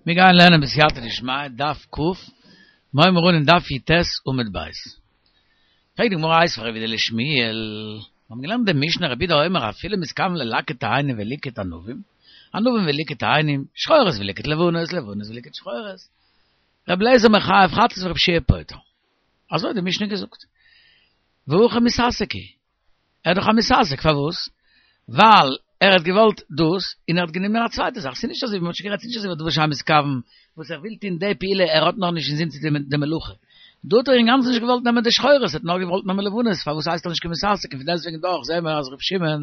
מיר גייען לערנען בסייעתא דשמיא דף ק, מיר הייבן אן אין דף י"ט עמוד ב'. פרעגט די גמרא איתיביה רב יהודה לשמואל, מיר האבן געלערנט די משנה רבי יהודה אומר אפילו מתכוון ללקט תאנים וליקט ענבים, ענבים וליקט תאנים, שחורות וליקט לבנות, לבנות וליקט שחורות, רבי אליעזר מחייב חטאת ורבי יהושע פוטר. אזוי האט די משנה געזאגט. והכא מתעסק הוא. ער איז דאך א מתעסק, פארוואס? ווייל ער האט געוואלט דאס, און ער האט גענומען א צווייטע זאך, ס'איז נישט אזוי ווי מ'האט שוין גערעדט, ס'איז נישט אזוי ווי דבר שאין מתכוון, וואס ער וויל טון די פעולה, ער האט נאר נישט אינזין צו טון די מלאכה. דא האט ער אינגאנצן נישט געוואלט נעמען די שחורות, ער האט נאר געוואלט נעמען לבנות, פארוואס הייסט ער נישט קיין מתעסק, און פון דעסטוועגן דאך זעען מיר אז ר' שמעון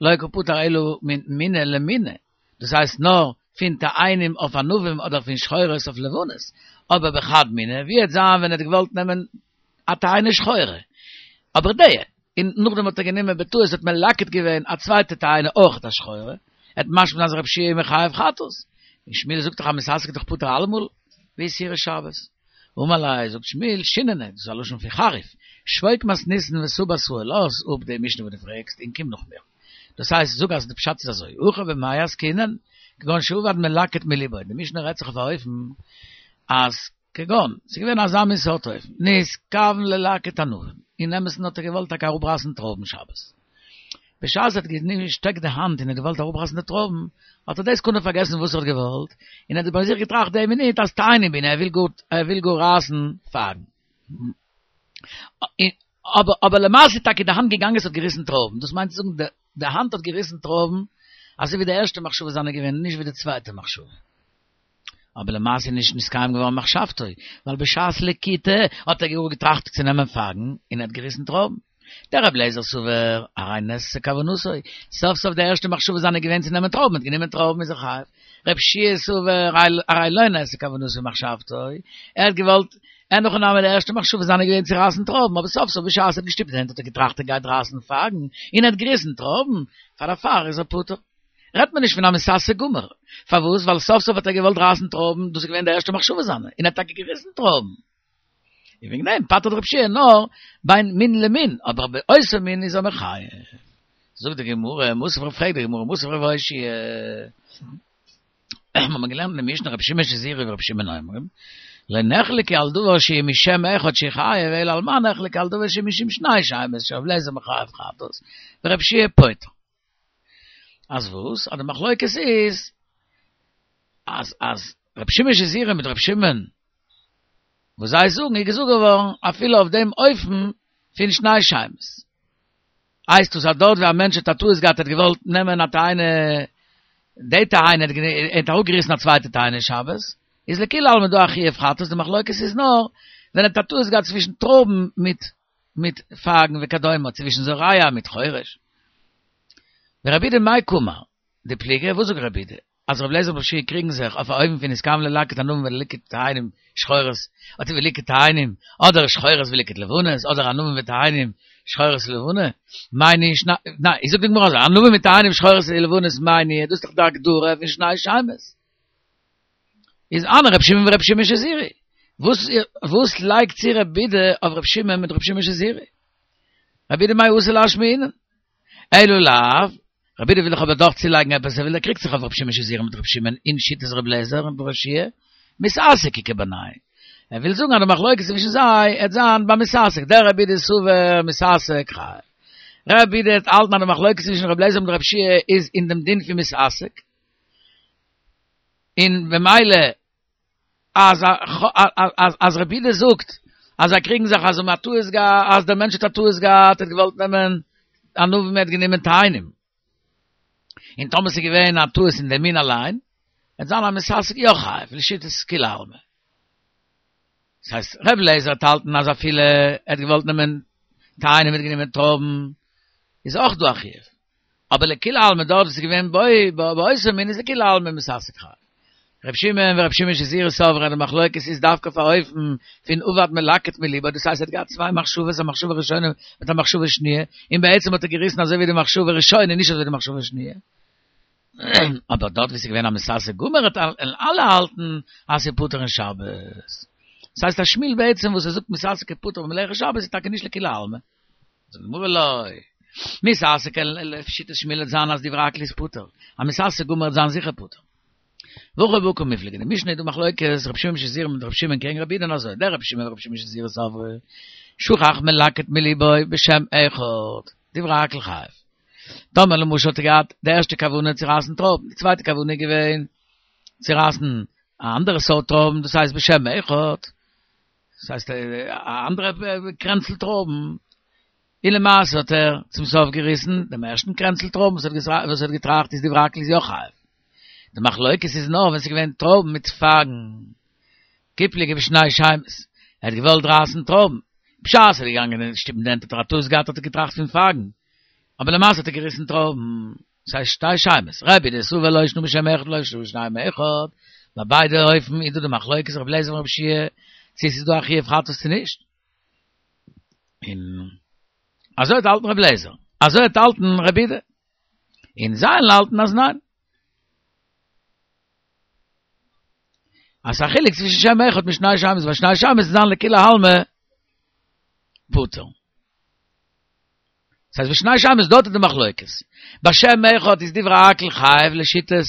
לא קא פטר אלא מן מיניה למיניה, דאס הייסט נאר פון תאנים אויף ענבים אדער פון שחורות אויף לבנות, אבער בחד מיני, ווי וועט זיין ווען ער האט געוואלט נעמען א תאנה שחורה, אבער די, און נאכדעם האט ער גענומען בטעות האט מלקט געווען א צווייטע תאנה אויכעט א שחורה, וועט משמע זיין אז רב שיע איז מחייב חטאת, און שמואל זאגט דאך אז מתעסק איז דאך פטור אלעמאל, ואיתירא שבת. אמר ליה, זאגט שמואל, שיננא, דאס איז א לשון פון חריף, שבוק מתניתין ותא בתראי, לאז אפ די משנה וואס דו פרעגסט און קום נאך מיר. דאס הייסט, זאג אז די פשט איז אזוי, הכא במאי עסקינן, כגון שאבד מלקט מליבו, די משנה רעדט זיך אויף א אופן אז כגון, ס'איז געווען אזא מין סארט אופן, נתכוון ללקט ענבים, אין אמת'ן האט ער געוואלט טאקע אראפרייסן טרויבן שבת. בשעת ער האט געשטעקט די האנט און האט געוואלט אראפרייסן די טרויבן, האט ער די סעקונדע פארגעסן וואס ער האט געוואלט, און ער האט ביי זיך געטראכט די מינוט אז תאנים בעינא, ער וויל גאר, ער וויל גאר רייסן פייגן. אבער אבער למעשה איז טאקע די האנט געגאנגען עס האט געריסן טרויבן, דאס מיינט צו זאגן די די האנט האט געריסן טרויבן אזוי ווי די ערשטע מחשבה זיינע געווען, נישט ווי די צווייטע מחשבה. אבער למעשה איז נישט נתקיים געווארן מחשבתו, ווייל בשעת לקיטה האט ער גאר געטראכט צו נעמען פייגן און ער האט געריסן טרויבן. דרבי אליעזר סבר הרי נעשתה כוונתו, סוף סוף די ערשטע מחשבה זיינע איז געווען צו נעמען טרויבן, ער האט גענומען טרויבן איז ער חייב. רבי יהושע סבר הרי לא נעשתה כוונתו ומחשבתו, ער האט געוואלט, אין הכי נמי די ערשטע מחשבה זיינע איז געווען צו רייסן טרויבן, אבער סוף סוף בשעת ער האט געשטופט די הענט האט ער געטראכט ער גייט רייסן פייגן, און ער האט געריסן טרויבן, פאר דערפאר איז ער פטור. רעדט מען נישט פון א מתעסק גמור. פארוואס? ווייל סוף סוף האט ער געוואלט רייסן טרויבן, דאס איז געווען די ערשטע מחשבה זיינע, און ער האט טאקע געריסן טרויבן. און וועגן דעם פטר'ט רב שיע נאר בין מין למין, אבער באותו מין איז ער מחייב. זאגט די גמרא, מתיב רב, פרעגט די גמרא, מתיב רב אושעיא, מיר האבן געלערנט אין די משנה רבי שמעון שזורי ורבי שמעון אומרים, לא נחלקו על דבר שהוא משם אחד שחייב, אלא על מה נחלקו על דבר שהוא משום שני שמות, שרבי אליעזר מחייב חטאת, ורבי יהושע פוטר. אז וואס? אז די מחלוקת איז אז אז רבי שמעון שזורי מיט רבי שמעון וואס זיי זאגן איז געזאגט געווארן אפילו אויף דעם אופן פון שני שמות. הייסט דאס אז דארט ווי א מענטש האט א טעות געהאט ער האט געוואלט נעמען א תאנה די תאנה ער האט אראפגעריסן א צווייטע תאנה שבת איז לכולי עלמא דא א חיוב חטאת די מחלוקת איז נאר ווען ער האט א טעות געהאט צווישן טרויבן מיט מיט פייגן וכדומה, צווישן זורע מיט חורש. ורבי יהודה מאי קאמר, דפליגי, וואס זאגט רבי יהודה? אז רבי אליעזר און רבי יהושע קריגן זיך אויף א אופן פון נתכוון ללקט ענבים וליקט תאנים שחורות, אדער וליקט תאנים, אדער שחורות וליקט לבנות, אדער ענבים ותאנים שחורות ולבנה, מאי ניהו שני, ניין, זאגט די גמרא אזוי, ענבים ותאנים שחורות ולבנות מאי ניהו, דאס איז דאך די הגדרה פון שני שמות. איז הני ר' שמעון ור' שמעון שזורי. וואס וואס לייגט צו רבי יהודה אויף ר' שמעון מיט ר' שמעון שזורי? רבי יהודה מאי אתא לאשמועינן? אלא לאו, רבי יהודה וויל דאך אבער דאך צולייגן עפעס, ער וויל ער קריגט זיך אויף ר' שמעון שזורי מיט ר' שמעון אין שיטת ר' אליעזר און ר' יהושע, מתעסק איכא בינייהו. ער וויל זאגן אז די מחלוקת צווישן זיי עט זיין ביי מתעסק, דרבי יהודה סבר מתעסק חייב. רבי יהודה האלט אז די מחלוקת צווישן ר' אליעזר מיט ר' יהושע איז אין דעם דין פון מתעסק. און במילא אז אז רבי יהודה זאגט אז זיי קריגן זיך אז מ'האט טעות געהאט אז דער מענטש האט א טעות געהאט ער האט געוואלט נעמען ענבים ער האט גענומען תאנים און טאמער ס'איז געווען א טעות אין דעם מין אליין וועט זיין א מתעסק יא חייב לשיטת כולי עלמא דאס הייסט ר' אליעזר האט האלטן אז אפילו ער האט געוואלט נעמען תאנים ער האט גענומען טרויבן איז אויך דא א חיוב אבער לכולי עלמא דארט וואס איז געווען באותו מין איז לכולי עלמא מתעסק חייב. ר' שמעון ור' שמעון שזורי סברי אז די מחלוקת איז דווקא אויף א אופן פון אבד מלקט מליבו דאס הייסט ער האט געהאט צוויי מחשבות א מחשבה ראשונה מיט א מחשבה שניה און בעצם האט ער געריסן אזוי ווי די מחשבה ראשונה נישט אזוי ווי די מחשבה שניה אבער דארט ווי ס'איז געווען א מתעסק גמור האט אלע האלטן אז ס'איז פטור אין שבת. דאס הייסט אז שמואל בעצם וואס ער זאגט מתעסק איז פטור במלאכת שבת איז טאקע נישט לכולי עלמא. זאגט די גמרא לא. מתעסק לשיטת שמואל וועט זיין אז דברי הכל איז פטור. א מתעסק גמור וועט זיין זיכער פטור. והכא בהא קמיפלגי, די משנה איז דא מחלוקת רבי שמעון שזורי מיט רבי שמעון קעגן רבי יהודה און אזוי, דרבי שמעון ורבי שמעון שזורי סברי, שכח מלקט מליבו בשם אחד, דברי הכל חייב. טאמער למשל האט ער געהאט די ערשטע כוונה צו רייסן טרויבן, די צווייטע כוונה איז געווען צו רייסן א אנדערע סארט טרויבן, דאס הייסט בשם אחד, דאס הייסט א אנדערע קרענצל טרויבן, און למעשה האט ער צום סוף געריסן דעם ערשטן קרענצל טרויבן וואס ער האט געטראכט איז דברי הכל איז יא חייב. די מחלוקת איז נאר ווען ס'איז געווען טרויבן מיט פייגן. כי פליגי בשני שמות, ער האט געוואלט רייסן טרויבן, בשעת ער איז געגאנגען אין שטופן די הענט האט ער א טעות געהאט האט ער געטראכט פון פייגן, אבער למעשה האט ער געריסן טרויבן. ס'הייסט שתי שמות, רבי יהודה סבר לא שנא בשם אחד לא שנא בשנים אחד, ביי ביידע אופן איז דא די מחלוקת רבי אליעזר און רבי יהושע צו עס איז דא א חיוב חטאת צו נישט. און אזוי האט געהאלטן רבי אליעזר, אזוי האט געהאלטן רבי יהודה, און זיי האלטן אז ניין. אז ס'איז א חילוק צווישן שם אחד מיט שני שמות, ביי שני שמות איז זיין לכולי עלמא פטור. ס'הייסט בשני שמות דארט איז די מחלוקת. ביי שם אחד איז דברי הכל חייב לשיטת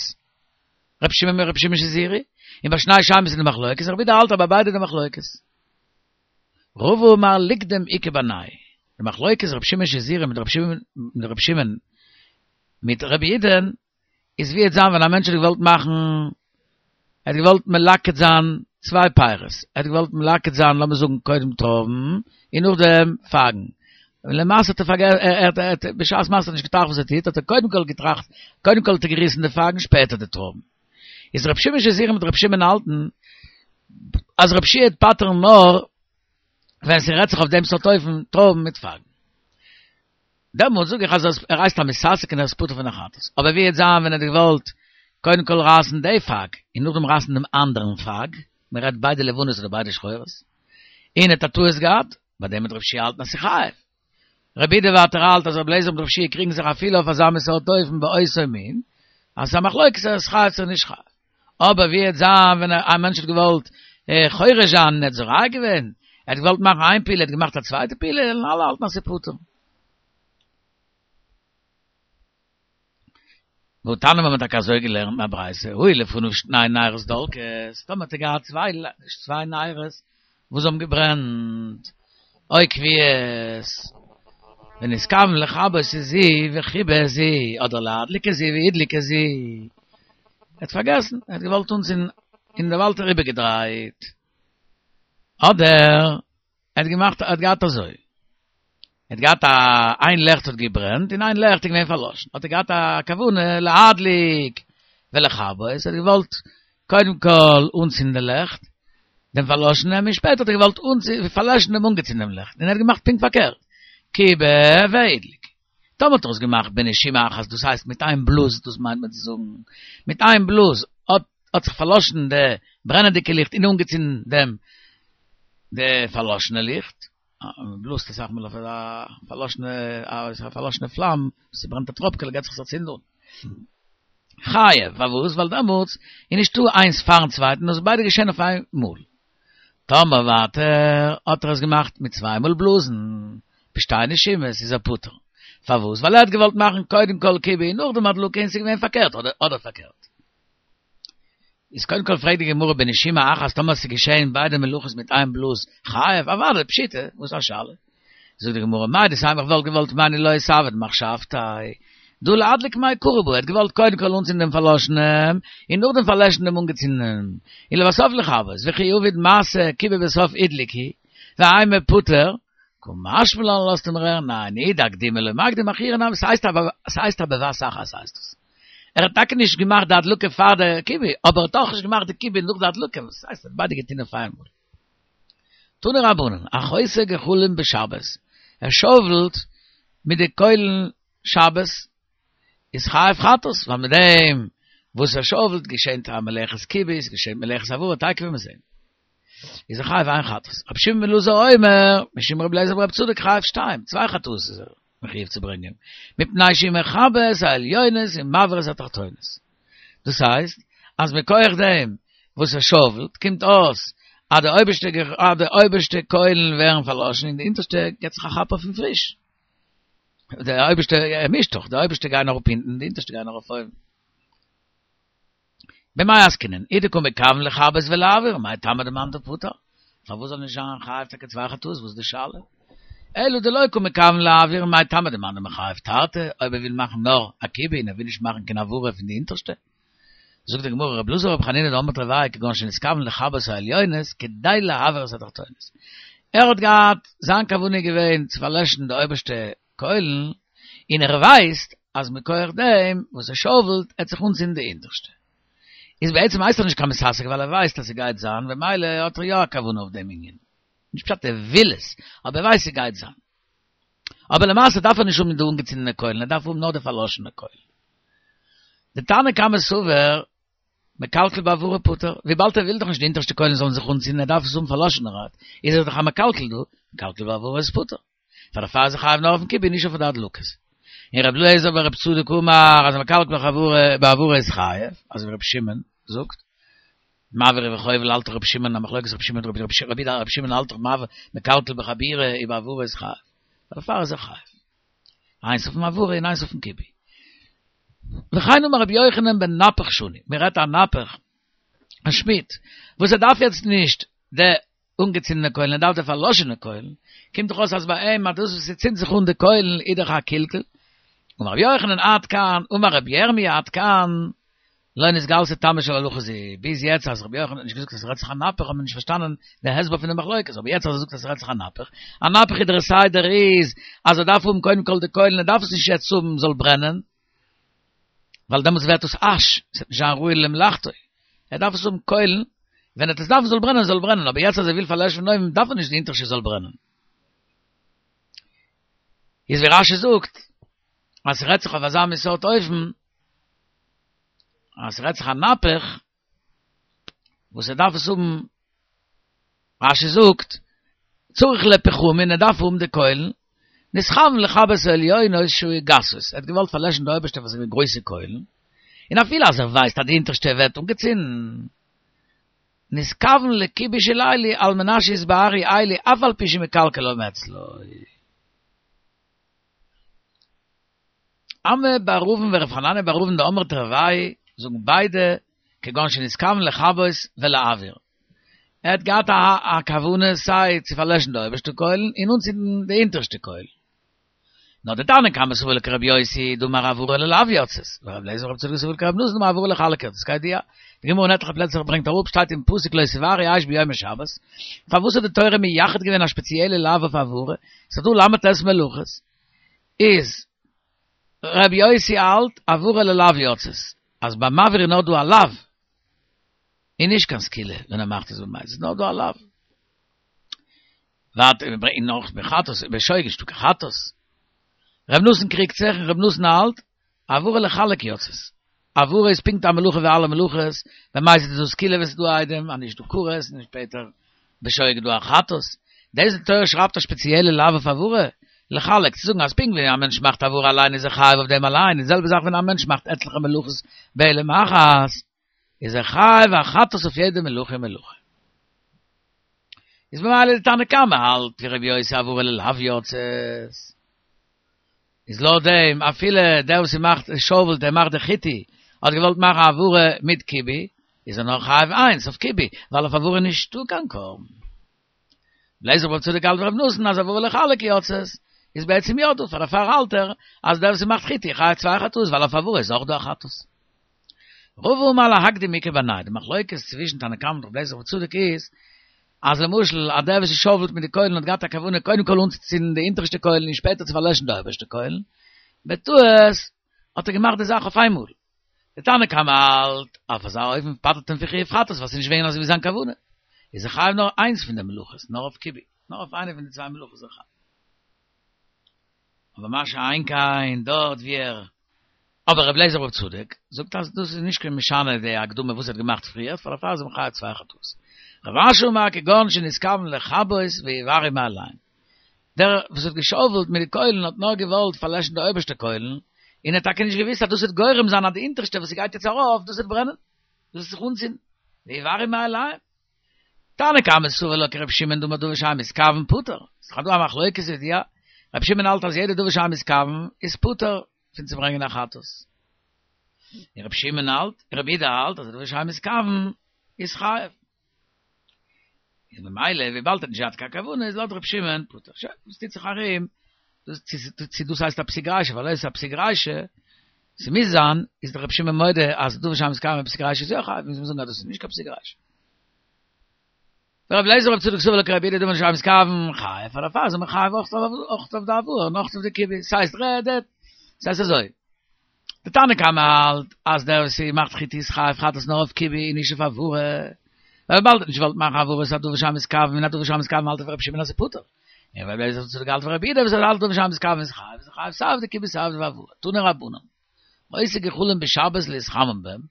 רבי שמעון רבי שמעון שזורי, און ביי שני שמות איז די מחלוקת, רבי יהודה האלט אז ביי ביידע איז די מחלוקת. רבא אמר ליקדם איכא בינייהו, די מחלוקת רבי שמעון שזורי מיט רבי שמעון מיט רבי שמעון מיט רבי יהודה'ן איז ווי עט זיין ווען א מענטש האט געוואלט מאכן ער האט געוואלט מלקט זיין צוויי פירות ער האט געוואלט מלקט זיין לאמיר זאגן קודם טרויבן און נאכדעם פייגן און למעשה האט ער פארגעסן ער האט בשעת מעשה נישט געטראכט וואס ער טוט האט ער קודם כל געטראכט קודם כל האט ער געריסן די פייגן שפעטער די טרויבן איז רבי שמעון שזורי מיט רבי שמעון האלטן אז רבי יהושע וועט פטר'ן נאר ווען ס'רעדט זיך אויף דעם סארט אופן טרויבן מיט פייגן. דעמאלט זאג איך אז ער הייסט א מתעסק און ער איז פטור פון א חטאת. אבער ווי וועט זיין ווען ער האט געוואלט קודם כל רייסן די פייג און נאכדעם רייסן דעם אנדערן פייג, מען רעדט ביידע לבנות אדער ביידע שחורות, און ער האט א טעות געהאט, ביי דעם וועט רבי יהושע האלטן אז ס'איז חייב. רבי יהודה ווייטער האלט אז רבי אליעזר מיט רבי יהושע קריגן זיך אפילו אויף אזא מין סארט אופן באותו מין, אז ס'איז א מחלוקת ער איז חייב צו נישט חייב. אבער ווי וועט זיין ווען א מענטש האט געוואלט חורש זיין און ער האט זורע געווען, ער האט געוואלט מאכן איין פעולה ער האט געמאכט א צווייטע פעולה, וועלן אלע האלטן אז ס'איז פטור. והתניא מיר האבן טאקע אזוי געלערנט אין א ברייתא, היו לפניו שני נרות דולקות, טאמער האט ער געהאט צוויי נרות וואס האבן געברענט, או כוויות, ונתכוון לכבות את זו וכיבה את זו, אדער להדליק את זו והדליק את זו, ער האט פארגעסן, ער האט געוואלט אנצינדן און דערווייל האט ער איבערגעדרייט, אדער ער האט געמאכט, ער האט געהאט אזוי, ער האט געהאט א, איין לעכט האט געברענט און איין לעכט איז געווען פארלאשן, האט ער געהאט א כוונה להדליק ולכבות, ער האט געוואלט קודם כל אנצינדן די לעכט, דעם פארלאשענעם, און שפעטער האט ער געוואלט פארלעשן דעם אנגעצינדענעם לעכט, און ער האט געמאכט פונקט פארקערט, כיבה והדליק. טאמער האט ער עס געמאכט בנשימה אחת, דאס הייסט מיט איין בלאז, דאס מיינט מען צו זאגן, מיט איין בלאז האט האט זיך פארלאשן די ברענעדיגע ליכט און אנגעצינדן דעם די פארלאשענע ליכט, מען בלאזט אסאך מאל אויף א פארלאשענע א פארלאשענע פלאם, ס'ברענט א טראפקעלע געט זיך עס א צינד אן. חייב, פארוואס? ווייל דעמאלטס איז נישטא איינס פארן צווייטן, נאר ס'איז ביידע געשען אויף איין מאל. טאמער ווייטער האט ער עס געמאכט מיט צוויי מאל בלאזן, בשתי נשימות, איז ער פטור. פארוואס? ווייל ער האט געוואלט מאכן קודם כל כיבוי און נאכדעם הדלקה און ס'איז געווען פארקערט, אדער פארקערט. איז קודם כל פרעגט די גמרא בנשימה אחת טאמער ס'איז געשען ביידע מלאכות מיט איין בלאז, חייב? אוודאי, פשיטא, וואס א שאלה? זאגט די גמרא, מהו דתימא איך וואלט געוואלט מיינען לא איתעביד מחשבתיה, דהא להדליק מעיקרא בעי, ער האט געוואלט קודם כל אנצינדן דעם פארלאשענעם, און נאכדעם פארלעשן דעם אנגעצינדענעם, און לבסוף לכבות, וכי עביד מעשה כיבה בסוף הדליק הוא, ואימא פטור, קא משמע לן לאזט אים הערן, ניין, אי דאקדומי לא מקדים אחורי נמי, ס'הייסט א בבת אחת הייסט עס. ער האט טאקע נישט געמאכט די הדלקה פאר די כיבוי, אבער ער האט אויך נישט געמאכט די כיבוי נאך די הדלקה, וואס הייסט ער האט ביידע געטון אויף איינמאל. תנו רבנן, החותך גחלים בשבת, ער שאוולט מיט די קוילן שבת, איז חייב חטאת, ווייל מיט דעם וואס ער שאוולט געשענט א מלאכת כיבוי, ס'געשענט מלאכת הבערה, תיכף וועט מען זען. איז ער חייב איין חטאת. רבי שמעון בן אלעזר אומר, משום רבי אליעזר ברבי צדוק חייב שתיים, צוויי חטאות איז ער מחויב צו ברענגען, מפני שהוא מכבה את העליונות ומבעיר את התחתונות. דאס הייסט, אז מכח דעם וואס ער שאוולט, קומט אויס אז די אויבערשטע אז די אויבערשטע קוילן ווערן פארלאשן און די אונטערשטע געבט זיך א כאפ אויף פון פריש. די אויבערשטע, ער מישט דאך, די אויבערשטע גייען אראפ אונטן, די אונטערשטע גייען ארויף אויבן. במאי עסקינן, אי דקא מכוון לכבות ולהבעיר, מאי טעמא דמאן דפטר? פארוואס זאל נישט זיין חייב טאקע צוויי חטאות, וואס איז די שאלה? אלא דלא קא מכוון להבעיר, מאי טעמא דמאן דמחייב תרתי, אויב ער וויל מאכן נאר א כיבוי און ער וויל נישט מאכן קיין הבערה פון די אונטערשטע? זאגט די גמרא, רבי אלעזר ברבי חנינא דאמרי תרוייהו כגון שנתכוון לכבות העליונות כדי להבעיר את התחתונות. ער האט געהאט, זיין כוונה איז געווען צו פארלעשן די אויבערשטע קוילן, און ער ווייסט אז מכח דעם וואס ער שאוועלט עט זיך אנצינדן די אונטערשטע. איז בעצם הייסט ער נישט קיין מתעסק ווייל ער ווייסט אז ס'גייט זיין, במילא האט ער יא א כוונה אויף דעם ענין. נישט פשט ער וויל עס, אבער ער ווייסט ס'גייט זיין. אבער למעשה דארף ער נישט האבן די אנגעצינדענע קוילן, ער דארף האבן נאר די פארלאשענע קוילן. די תנא קמא סבר מקלקל בהבערה פטור, וויבאלד ער וויל דאך נישט די אונטערשטע קוילן זאלן זיך אנצינדן, ער דארף עס האבן פארלאשענערהייט, איז ער דאך א מקלקל דא, מקלקל בהבערה איז פטור. פאר דערפאר איז ער חייב נאר אויפן כיבוי נישט אויף די הדלקות. און רבי אליעזר ברבי צדוק אמר אז מקלקל בהבערה איז חייב, אזוי ווי רבי שמעון זאגט, מבעיר וחובל האלט רבי שמעון א מחלוקת רבי שמעון רבי רבי רבי שמעון האלט דאך מבעיר מקלקל בחבורה ובהבערה איז חייב. פאר דערפאר איז ער חייב. איינס אויפן הבערה און איינס אויפן כיבוי. וכן אמר רבי יוחנן בנפח שנו, מען רעדט א נפח, א שמיד, וואס ער דארף יעצט נישט די אנגעצינדענע קוילן, ער דארף די פארלאשענע קוילן, קומט דאך אויס אז ביי אים אז דאס וואס ס'צינדט זיך אן די קוילן איז דאך א קלקול. אמר רבי יוחנן עד כאן, אמר רבי ירמי' עד כאן, לא נתגלתה תמה של הלכה זו, ביז יעצט אז רבי יוחנן האט נישט געזאגט אז ס'רעדט זיך א נפח האט מען נישט פארשטאנען די הסבר פון די מחלוקת, אבער יעצט אז ער זאגט אז ס'רעדט זיך א נפח, א נפח איז דער סדר איז אז ער דארף האבן קודם כל די קוילן, ער דארף עס נישט יעצט האבן זאל ברענען, ווייל דעמאלטס ווערט עס אש, עס וועט נישט זיין ראוי למלאכתו, ער דארף עס האבן קוילן, ווען ער וועט עס דארפן זאל ברענען זאל ברענען, אבער יעצט אז ער וויל פארלעשן פון אויבן דארף ער נישט די אונטערשטע זאל ברענען. איז ווי רש"י זאגט, אז ס'רעדט זיך אויף אזא מין סארט אופן, אז ס'רעדט זיך א נפח, וואס ער דארף עס האבן, רש"י זאגט, צריך לפחמין, ער דארף האבן די קוילן, נתכוון לכבות העליונות שהיו גסות, ער האט געוואלט פארלעשן די אויבערשטע וואס איז געווען גרויסע קוילן, און אפילו אז ער ווייסט אז די אונטערשטע ווערט אנגעצינדן, נתכוון לכיבוי של אלו על מנת שיתבערו אלו אף על פי שמקלקלם אצלו. אמי בר אבין ורב חנניה בר אבין דאמרי תרוייהו זאגן ביידע כגון שנתכוון לכבות ולהבעיר. ער האט געהאט א כוונה סיי צו פארלעשן די אויבערשטע קוילן און אנצינדן די אונטערשטע קוילן. נאר די תנא קמא סבר לה כרבי יוסי דאמר הבערה ללאו יצאת, ורבי אליעזר ברבי צדוק סבר לה כרבי נתן דאמר הבערה לחלק יצאת, כידוע, די גמרא אין עטליכע פלעצער ברענגט אראפ שטייט אין פסוק לא תבערו אש ביום השבת, פארוואס האט די תורה מייחד געווען א שפעציעלע לאו אויף הבערה, ס'איז דא ל"ט מלאכות, איז רבי יוסי האלט הבערה ללאו יצאת, אז ביי מבעיר איז נאר דא א לאו, און נישט קיין סקילה ווען ער מאכט עס במזיד, ס'איז נאר דא א לאו. ווייטער מיר ברענגען נאך בחטאת בשוגג נישטא קיין חטאת. ר' נתן קריגט זיך און ר' נתן האלט הבערה לחלק יצאת. הבערה איז פונקט א מלאכה ווי אלע מלאכות, במזיד איז דא סקילה ווען ס'איז דא עדים, אז נישט דא כרת, און שפעטער בשוגג איז דא א חטאת. דאס די תורה שרייבט א שפעציעלע לאו אויף הבערה, לחלק, צו זאגן אז פונקט ווי א מענטש מאכט הבערה אליין איז ער חייב אויף דעם אליין, די זעלבע זאך ווען א מענטש מאכט עטליכע מלאכות בהעלם אחת, איז ער חייב א חטאת אויף יעדע מלאכה ומלאכה. איז במילא די תנא קמא האלט ווי רבי יוסי הבערה ללאו יצאת. איז לויט דעם אפילו דער וואס מאכט שאוועלט ער מאכט די חיטי האט געוואלט מאכן הבערה מיט כיבוי איז ער נאר חייב איינס אויף כיבוי ווייל אויף הבערה איז נישטא קיין קרבן. רבי אליעזר ברבי צדוק האלט ווי רבי נתן אז הבערה לחלק יצאת איז בעצם יא דא פאר דערפאר האלט ער אז דער וואס מאכט חיטי חייב צוויי חטאות ווייל אויף הבערה איז אויך דא א חטאת. רבא אמר להקדים איכא בינייהו, די מחלוקת צווישן תנא קמא און רבי אליעזר ברבי צדוק איז, אז למשל אז דער וואס שאוועלט מיט די קוילן האט געהאט א כוונה קודם כל אנצוצינדן די אונטערשטע קוילן און שפעטער צו פארלעשן די אויבערשטע קוילן, בטעות האט ער געמאכט די זאך אויף איינמאל. די תנא קמא האלט, אויף אזא אופן פטר'ט אים פון חיוב חטאת ווייל ס'איז נישט געווען אזוי ווי זיין כוונה, איז ער חייב נאר איינס פון די מלאכות, נאר אויף כיבוי, נאר אויף איינע פון די צוויי מלאכות איז ער חייב. אבער מה שאין כן דארט ווי ער אבער רבי אליעזר ברבי צדוק זאגט אז דאס איז נישט קיין משנה די הקדמה וואס ער האט געמאכט פריער פאר דערפאר איז מען חייב צוויי חטאות. רב אשי אמר כגון שנתכוון לכבות ויבערו מאליהן. דער וואס האט געשאוועלט מיט די קוילן האט נאר געוואלט פארלעשן די אויבערשטע קוילן, און ער האט טאקע נישט געוואוסט אז דאס וועט גורם זיין אז די אונטערשטע וואס ס'גייט יעצט ארויף דאס וועט ברענען, דאס וועט זיך אנצינדן, ויבערו מאליהן. תנא קמא סבר לה כרבי שמעון דאמר דבר שאין מתכוון פטור. ס'איז דאך דא א מחלוקת כידוע, רבי שמעון האלט אז יעדע דבר שאין מתכוון איז פטור פון צו ברענגען א חטאת. און רבי שמעון האלט, רבי יהודה האלט אז א דבר שאין מתכוון איז חייב. איז ממילא וויבאלד ער האט נישט געהאט קיין כוונה איז לויט רבי שמעון פטור. שוין, וואס טוט זיך ארום, דאס צו דאס הייסט א פסיק רישא, ווייל אויב עס איז א פסיק רישא, ס'מוז זיין, איז דאך רבי שמעון מודה אז דבר שאין מתכוון פסיק רישא איז יא חייב, מוז מען זאגן אז דאס איז נישט קיין פסיק רישא. ורבי אליעזר בן צדוק סבר לה כרבי יהודה דבר שאין מתכוון חייב, פאר דערפאר איז מען חייב אויך אויף די הבערה און אויך אויף די כיבוי, ס'הייסט רעדט, ס'הייסט אזוי, די תנא קמא האלט אז דער וואס מאכט חיטוי איז חייב חטאת נאר אויף כיבוי און נישט אויף הבערה, ווייל וויבאלד ער האט נישט געוואלט מאכן הבערה איז א דבר שאין מתכוון און א דבר שאין מתכוון האלט ער ווי רבי שמעון אז ס'איז פטור, און רבי אליעזר בן צדוק האלט ווי רבי יהודה וואס ער האלט דבר שאין מתכוון איז חייב, איז חייב סיי אויף די כיבוי סיי אויף די הבערה, תנו רבנן, העושה גחלים בשבת להתחמם בהם,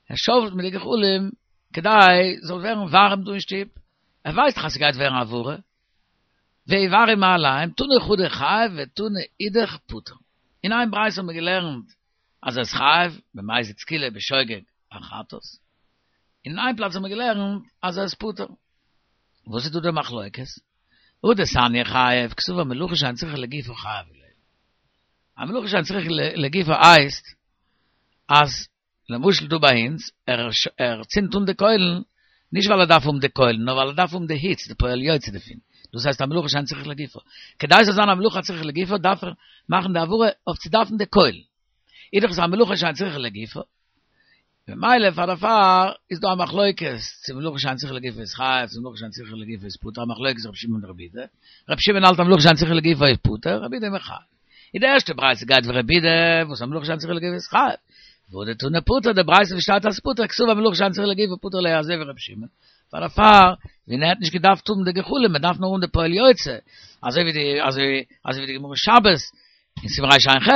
ער שאוועלט מיט די גחלים כדי ס'זאל ווערן ווארעם דא אין שטוב, ער ווייסט דאך אז ס'גייט ווערן הבערה, ויבערו מאליהם, תנא חדא חייב ותנא אידך פטור. אין איין ברייתא האט מען געלערנט אז ער איז חייב, במזיד סקילה בשוגג א חטאת, אין איין פלאץ האט מען געלערנט אז ער איז פטור. וואס איז דא די מחלוקת? הא דתניא חייב, קסבר מלאכה שאין צריכה לגופה חייב עליה. א מלאכה שאין צריכה לגופה הייסט אז למשל דא ביי אונז, ער ער צינדט אן די קוילן, נישט ווייל ער דארף האבן די קוילן, נאר ווייל ער דארף האבן די היץ, די פועל יוצא דערפון. דאס הייסט א מלאכה שאין צריכה לגופה. כדי ס'זאל זיין א מלאכה הצריכה לגופה דארף ער מאכן די הבערה אויף צו דארפן די קוילן. איז דאך עס א מלאכה שאין צריכה לגופה. ממילא פאר דערפאר איז דא א מחלוקת צו מלאכה שאין צריכה לגופה איז חייב, צו מלאכה שאין צריכה לגופה איז פטור, א מחלוקת רבי שמעון און רבי יהודה. רבי שמעון האלט א מלאכה שאין צריכה לגופה איז פטור, רבי יהודה איז מחייב. איז די ערשטע ברייתא גייט ווי רבי יהודה וואס א מלאכה שאין צריכה לגופה איז חייב. והא דתנא פטור די ברייתא וואס שטייט אז פטור קסבר מלאכה שאין צריכה לגופה פטור עליה אזוי ווי רבי שמעון. פאר דערפאר ווען ער האט נישט געדארפט האבן די גחלים מען דארף נאר האבן די פועל יוצא אזוי ווי די אזוי אזוי ווי די גמרא שבת אין סימן רע"ח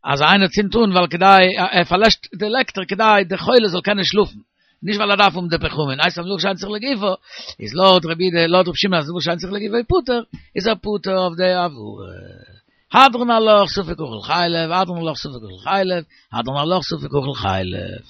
אז איינער צינדט אן ווייל כדי ער פארלעשט די לעקטער כדי די חולה זאל קענען שלאפן. נישט ווייל ער דארף האבן די פחמין, הייסט א מלאכה שאין צריכה לגופה, איז לויט רבי יהודה, לויט רבי שמעון אז מלאכה שאין צריכה לגופה איז פטור, איז ער פטור אויף די הבערה. הדרן עלך ספק אכל חלב, הדרן עלך ספק אכל חלב, הדרן עלך ספק אכל חלב.